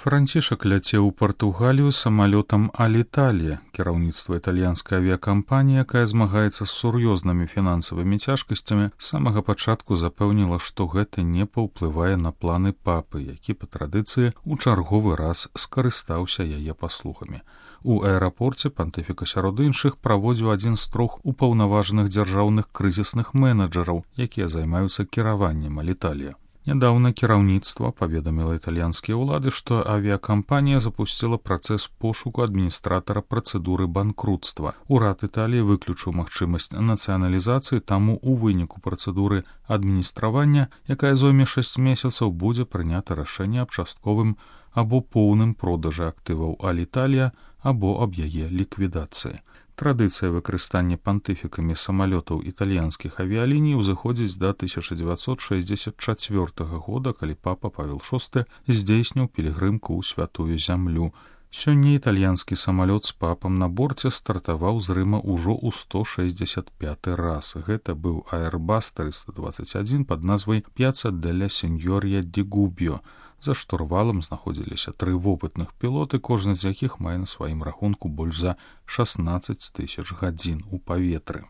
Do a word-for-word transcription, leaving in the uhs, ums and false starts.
Францішак ляцеў у Партугалію самалётам Аліталія. Кіраўніцтва італьянскай авіякампаніі, якая змагаецца з сур'ёзнымі фінансавымі цяжкасцямі, з самага пачатку запэўніла, што гэта не паўплывае на планы папы, які па традыцыі ў чарговы раз скарыстаўся яе паслугамі. У аэрапорце пантыфіка сярод іншых праводзіў адзін з трох упаўнаважаных дзяржаўных крызісных менеджараў, якія займаюцца кіраваннем Аліталія. Нядаўна кіраўніцтва паведаміла італьянскія ўлады, што авіякампанія запусціла працэс пошуку адміністратара працэдуры банкрутства. Урад Італіі выключыў магчымасць нацыяналізацыі, таму ў выніку працэдуры адміністравання, якая зойме шэсць месяцаў, будзе прынята рашэнне аб частковым або поўным продажы актываў Аліталія або аб яе ліквідацыі. Традыцыя выкарыстання пантыфікамі самалётаў італьянскіх авіяліній узыходзіць да тысяча дзевяцьсот шэсцьдзесят чацвёртага года, калі папа Павел шосты здзейсніў пілігрымку ў святую зямлю. Сёння італьянскі самалёт з папам на борце стартаваў з Рыма ўжо ў сто шэсцьдзесят пяты раз. Гэта быў Airbus триста двадцать один пад назвай Piazza della Signoria di Gubbio. За штурвалам знаходзіліся тры вопытных пілоты, кожны з якіх мае на сваім рахунку больш за шаснаццаць тысяч гадзін у паветры.